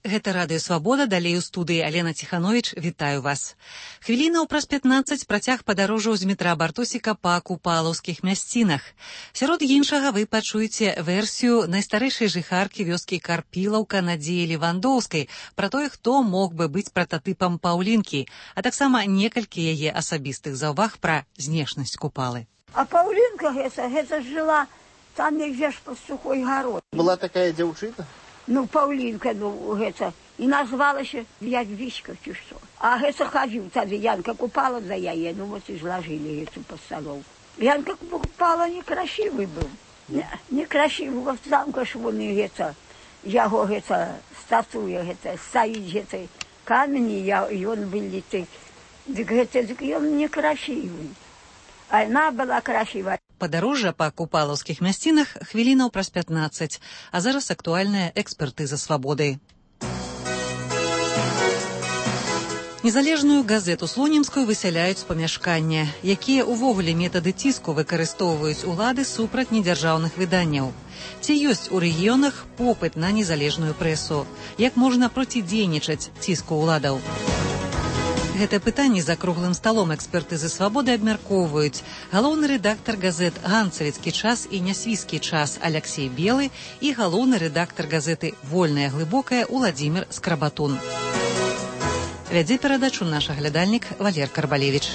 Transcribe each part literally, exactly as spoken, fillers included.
Гэта Радыё Свабода, далей у студыі Алена Ціхановіч, вітаю вас. Хвілінаў праз пятнаццаць працяг падарожжаў з метра Бартосіка па купалаўскіх мясцінах. Сярод іншага вы пачуеце версію найстарэйшай жыхаркі вёскі Карпілаўка Надзеі Левандоўскай пра тое, хто мог бы быць прататыпам Паўлінкі, а таксама некалькі яе асабістых заўваг пра знешнасць Купалы. А Паўлінка гэта, гэта жыла там нельзя ж пад Сухой гарой. Была такая дзяўчына? Ну, Паўлінка, ну, гэта, і назвалася Ядвічка, ці што. А гэта хадзіў тады, Янка Купала за яе, ну, вот і зложили гэту пастанову. Янка Купала некрасивый быў. Не, некрасивый, вот замка ж вон і гэта, яго гэта, статуя гэта, стаіць гэта, камень, і ён выліты. Дык гэта, дык ён некрасивый. А яна была красивая. Падарожжа па купалаўскіх мясцінах хвілінаў праз пятнаццаць, а зараз актуальная экспертыза свабоды. Незалежную газету слонімскую высяляюць з памяшкання. Якія ўвогуле метады ціску выкарыстоўваюць улады супраць недзяржаўных выданняў? Ці ёсць у рэгіёнах попыт на незалежную прэсу? Як можна процідзейнічаць ціску ўладаў? Гэта пытанне за круглым сталом экспертызы свабоды абмяркоўваюць галоўны рэдактар газет «Ганцавіцкі час» і «Нясвійскі час» Аляксей Белы і галоўны рэдактар газеты «Вольная глыбокая» Уладзімір Скрабатун. Вядзе перадачу наш аглядальнік Валер Карбалевіч.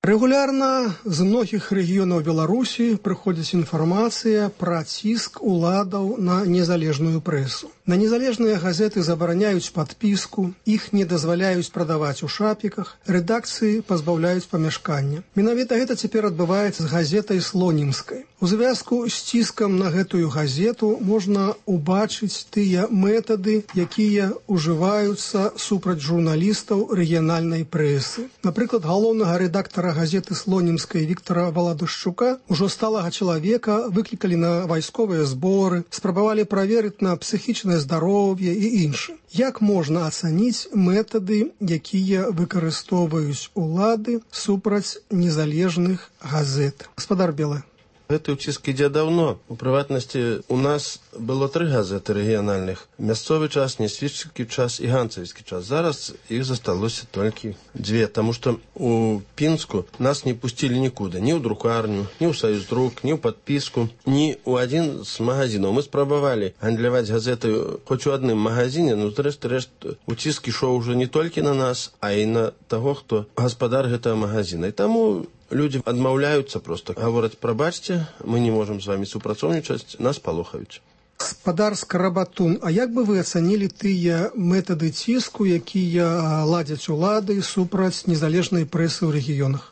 Рэгулярна з многіх рэгіёнаў Беларусі прыходзіць інфармацыя пра ціск уладаў на незалежную прэсу. На незалежныя газеты забараняюць падпіску, іх не дазваляюць прадаваць у шапіках, рэдакцыі пазбаўляюць памяшкання. Менавіта гэта цяпер адбываецца з газетай слонімскай. У звязку з ціскам на гэтую газету можна убачыць тыя метады, якія ўжываюцца супраць журналістаў рэгіянальнай прэсы. Напрыклад, галоўнага рэдактара газеты слонімскай Віктара Валадушчука, ужо сталага чалавека, выклікалі на вайсковыя зборы, спрабавалі праверыць на псіхічнае здароўе і іншым. Як можна ацаніць метады, якія выкарыстоўваюць улады супраць незалежных газет? Гаспадар Белы. Гэты ўціск ідзе даўно. У прыватнасці, у нас было тры газеты рэгіянальных. Мясцовы час, Нясвійскі час і Ганцавіцкі час. Зараз іх засталося толькі дзве, таму што у Пінску нас не пусцілі нікуды. Ні ў друкарню, ні ў Саюздрук, ні ў падпіску, ні ў адзін з магазінаў. Мы спрабавалі гандляваць газеты хоць у адным магазіне, но зрэшты рэшт уціск ішоў ужо не толькі на нас, а і на таго, хто гаспадар гэтага магазіна. І таму людзі адмаўляюцца проста. Гавораць, прабачце, мы не можам з вамі супрацоўнічаць, нас палохаюць. Гаспадар Скрабатун, а як бы вы ацанілі тыя метады ціску, якія ладзяць улады супраць незалежнай прэсы ў рэгіёнах?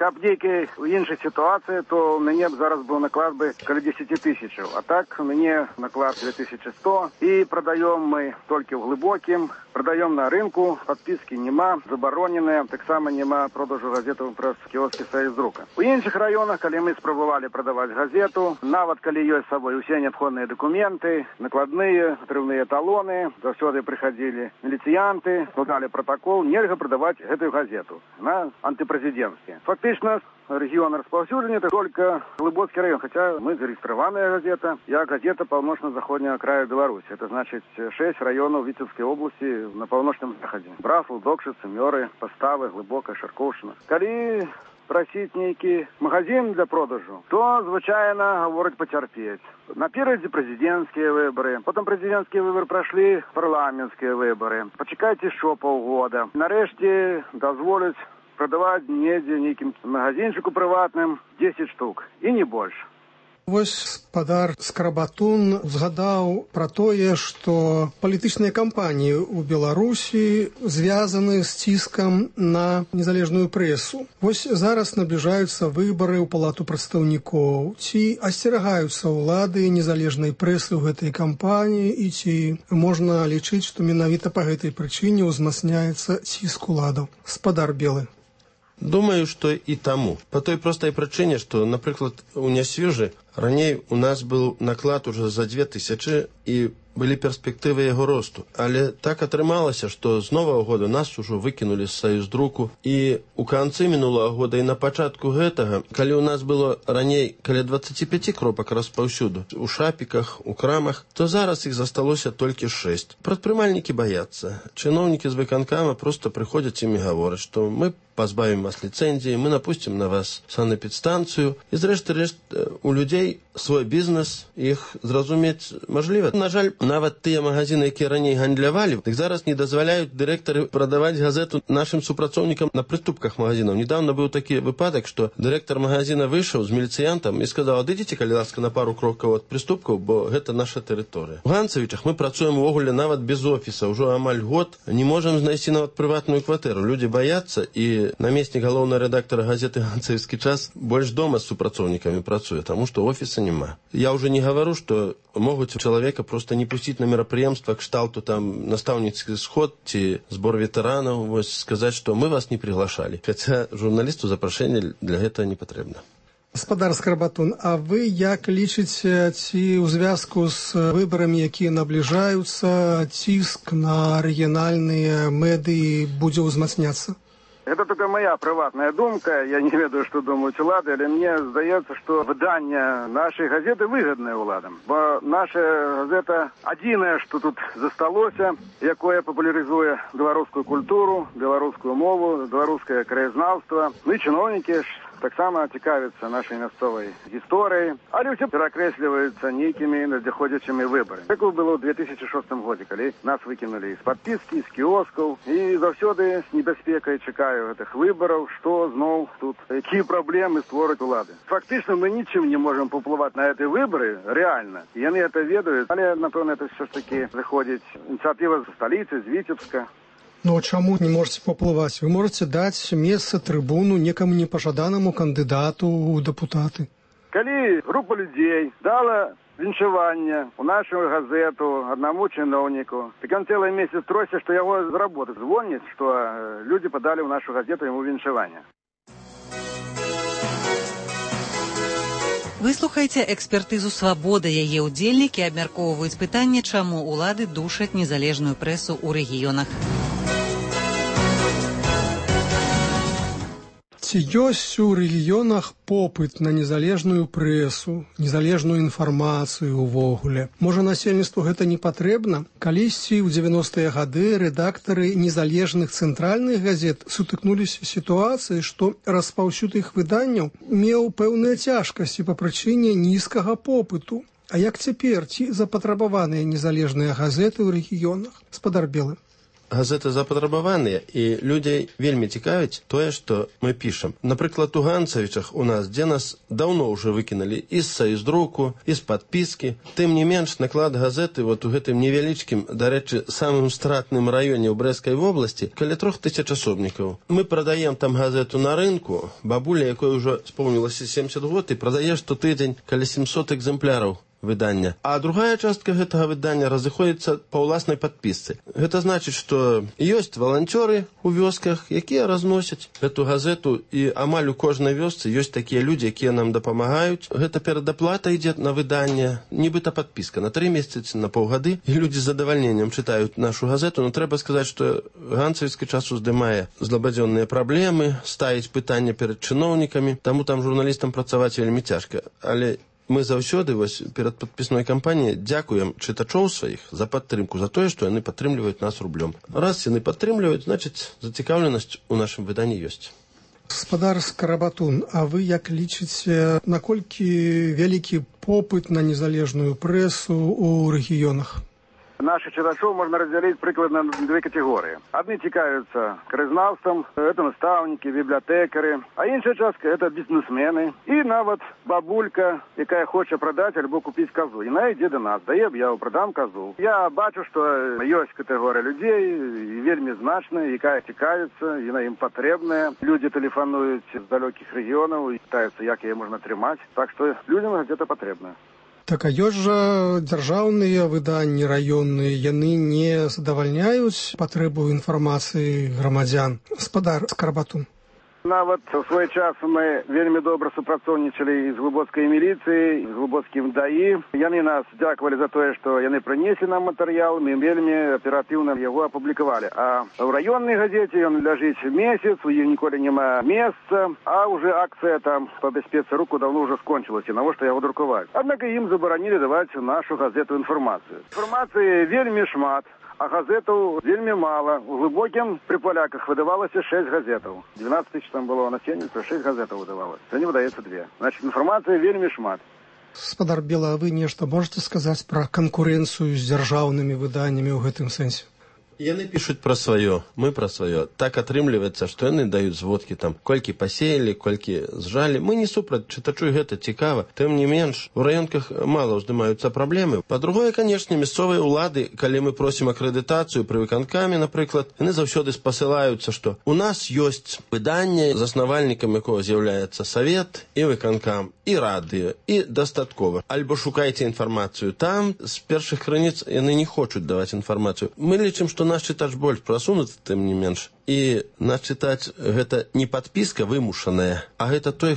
Каб нейкай у іншай сітуацыі, то ў мяне б зараз быў наклад бы каля дзесяць тысячаў. А так у мяне наклад две тысячи сто. І прадаём мы толькі ў глыбокім, прадаём на рынку, падпіскі няма, забароненыя, таксама няма продажу газетаў праз кіоскі Саюздрука. У іншых раёнах, калі мы спрабавалі прадаваць газету, нават калі ёсць з сабой усе неабходныя дакументы, накладныя, атрыўныя талоны, заўсёды прыхадзілі міліцыянты, складалі пратакол, нельга прадаваць гэтую газету на антыпрэзідэнцкі. Фактычна, регион распаўсюджання это только Глыбоцкі район, хотя мы зарегистрированная газета, я газета паўночна-заходняга краю Беларуси. Это значит шесть районов Витебской области на паўночным заходе. Браслаў, Докшицы, Мёры, Поставы, Глыбокая, Шаркоўшчына. Калі просить нейкі магазин для продажу, то, звычайна, гавораць пацярпець. Наперадзе президентские выборы, потом президентские выборы прошли, парламентские выборы. Почекайте еще полгода. Нарэшце дазволяць продавать недзе нейкім магазинчику прыватным десять штук и не больше. Вось гаспадар Скрабатун згадаў пра тое, што палітычныя кампаніі ў Беларусі звязаны з ціскам на незалежную прэсу. Вось зараз набліжаюцца выбары ў палату прадстаўнікоў. Ці асцерагаюцца ўлады незалежнай прэсы ў гэтай кампаніі і ці можна лічыць, што менавіта па гэтай прычыне ўзмацняецца ціск уладаў? Гаспадар Белы. Думаю, что и тому. По той простой причине, что, например, у Нясвежи ранее у нас был наклад уже за две тысячи, и былі перспектывы яго росту. Але так атрымалася, што з новага года нас ужо выкінулі з саюздруку. І ў канцы мінулага года і на пачатку гэтага, калі ў нас было раней каля дваццаць пяць кропак распаўсюду, у шапіках, у крамах, то зараз іх засталося толькі шэсць. Прадпрымальнікі баяцца. Чыноўнікі з выканкама проста прыходзяць ім і гавораць, што мы пазбавім вас ліцэнзіі, мы напусцім на вас санэпідстанцыю. І зрэшты рэшт у людзей свой бізнес, іх зразумець мажліва. На жаль, нават тыя магазины, якія раней гандлявалі, так зараз не дазваляюць дырэктары прадаваць газету нашым супрацоўнікам на прыступках магазинаў. Недавно быў такі выпадак, што дырэктар магазина выйшаў з міліцыянтам і сказаў: адыдзіце, калі ласка, на пару крокаў ад прыступкаў, бо гэта наша тэрыторыя. У Ганцавічах мы працуем увогуле нават без офіса, ўжо амаль год, не можам знайсці нават прыватную кватэру. Людзі баяцца, і намеснік галоўнага рэдактара газеты «Ганцавіцкі час» больш дома з супрацоўнікамі працуе, таму што офіса няма. Я ўжо не гавару, што могуць чалавека проста не пусціць на мерапрыемства кшталту там настаўніцкі сход ці збор ветэранаў, вось сказаць, што мы вас не приглашалі. Хаця журналісту запрашэнне для гэтага не патрэбна. Гаспадар Скарбатун, а вы як лічыце, ці ў звязку з выбарамі, якія набліжаюцца, ціск на рэгіянальныя медыі будзе ўзмацняцца? Это только моя приватная думка, я не ведаю, что думают улады, але мне здаецца, что выдание нашей газеты выгодное уладам. Бо наша газета адзінае, что тут засталося, якое папулярызуе беларускую культуру, беларускую мову, беларускае краязнаўства. Ну і чыноўнікі ж таксама цікавяцца нашай мясцовай гісторыяй, але ўсе перакрэсліваюцца нейкімі надыходзячымі выбарамі. Так было ў две тысячи шостым годзе, калі нас выкінулі з падпіскі, з кіоскаў, і заўсёды з небяспекай чакаю гэтых выбараў, што зноў тут, якія праблемы створаць улады. Фактычна мы нічым не можам паўплываць на гэтыя выбары, рэальна. Яны гэта ведаюць, але, напэўна, это ўсё ж такі заходзіць ініцыятыва з сталіцы, з Віцебска. Ну, а чаму не можете паўплываць? Вы можете даць месца, трыбуну некаму непажаданаму кандыдату ў дэпутаты. Калі група людзей дала віншаванне ў нашу газету аднаму чыноўніку, так ён цэлы месяц трося, што яго з работы звоняць, што людзі падалі ў нашу газету яму віншаванне. Выслухайце экспертызу «Свабода». Яе ўдзельнікі абмяркоўваюць пытанне, чаму улады душаць незалежную прэсу ў рэгіёнах. Ці ёсць у рэгіёнах попыт на незалежную прэсу, незалежную інфармацыю ўвогуле? Можа, насельніцтву гэта не патрэбна? Калісьці ў дзевяностыя гады рэдактары незалежных цэнтральных газет сутыкнуліся з сітуацыяй, што распаўсюд іх выданняў меў пэўныя цяжкасці па прычыне нізкага попыту. А як цяпер, ці запатрабаваныя незалежныя газеты ў рэгіёнах? Гаспадар Белы. Газеты запатрабаваныя, і людзей вельмі цікавіць тое, што мы пішам. Напрыклад, у Ганцавічах у нас, дзе нас даўно ўжо выкінулі і з саюздруку, і з падпіскі. Тым не менш, наклад газеты вот у гэтым невялічкім, дарэчы, самым стратным раёне ў Брэскай вобласці каля трох тысяч асобнікаў. Мы прадаем там газету на рынку, бабуля, якой ужо споўнілася сямдзесят год, і прадае штотыдзень каля сямсот экземпляраў выдання. А другая частка гэтага выдання разыходзіцца па ўласнай падпісцы. Гэта значыць, што ёсць валанцёры ў вёсках, якія разносяць гэту газету, і амаль у кожнай вёсцы ёсць такія людзі, якія нам дапамагаюць. Гэта перадаплата ідзе на выданне, нібыта падпіска на тры месяцы, на паўгады, і людзі з задавальненнем чытаюць нашу газету. Но трэба сказаць, што Ганцавіцкі час уздымае злабадзённыя праблемы, ставіць пытанне перад чыноўнікамі, таму там журналістам працаваць вельмі цяжка. Але мы заўсёды вось перад падпісной кампаніяй дзякуем чытачоў сваіх за падтрымку, за тое, што яны падтрымліваюць нас рублём. Раз яны падтрымліваюць, значыць, зацікаўленасць у нашым выданні ёсць. Гаспадар Скарбатун, а вы як лічыце, наколькі вялікі попыт на незалежную прэсу ў рэгіёнах? Наших читачов можно разделить прикладно на две категории. Одни цікавятся краязнаўством, это наставники, библиотекари, а іншая частка это бізнесмени і нават бабулька, яка хоче продати або купити козу. І вона йде до нас, дає об'яву, продам козу. Я бачу, що є категорія людей, вельми значна, яка цікавиться, вона їм потрібна. Люди телефонують з далеких регіонів і питаються, як її можна тримати. Так що людям газета потрібна. Так, а ёсць жа дзяржаўныя выданні раённыя, яны не задавальняюць патрэбу інфармацыі грамадзян. Гаспадар Скарбатун. Нават у свой час мы вельмі добра супрацоўнічалі з глыбоцкай міліцыяй, з глыбоцкім даі. Яны нас дзякавалі за тое, што яны прынеслі нам матэрыял, мы вельмі аператыўна яго апублікавалі. А ў раённай газеце ён ляжыць месяц, у іх ніколі няма месца, а уже акцыя там па бяспецы руку даўно ўжо скончылася, навошта яго друкаваць. Аднак ім забаранілі даваць нашу газету інфармацыю. Інфармацыі вельмі шмат. А газетаў вельмі мала. У глыбокім пры паляках выдавалася шэсць газетаў. двенадцать тысяч там было насельніцтва, шэсць газетаў выдавалася. Сёння выдаецца две. Значит, інфармацыі вельмі шмат. Спадар Бела, а вы нешта можете сказаць пра канкурэнцыю з дзяржаўнымі выданнямі ў гэтым сэнсе? Яны пишут про свое, мы про свое. Так атрымліваецца, што яны даюць зводкі там, колькі пасеялі, колькі зжалі. Мы не супраць, чытачу гэта цікава. Тым не менш, у раёнках мала ўздымаюцца праблемы. Па-другое, канешне, мясцовыя ўлады, калі мы просім акрэдытацыю пры выканкаме, напрыклад, яны заўсёды спасылаюцца, што у нас ёсць выданне, заснавальнікам якога з'яўляецца савет і выканкам, і радыё, і дастаткова. Альбо шукайце інфармацыю там, з першых крыніц яны не хочуць даваць інфармацыю. Мы лічым, што наш чытач больш прасунуты, тым не менш. І наш чытач гэта не падпіска вымушаная, а гэта той,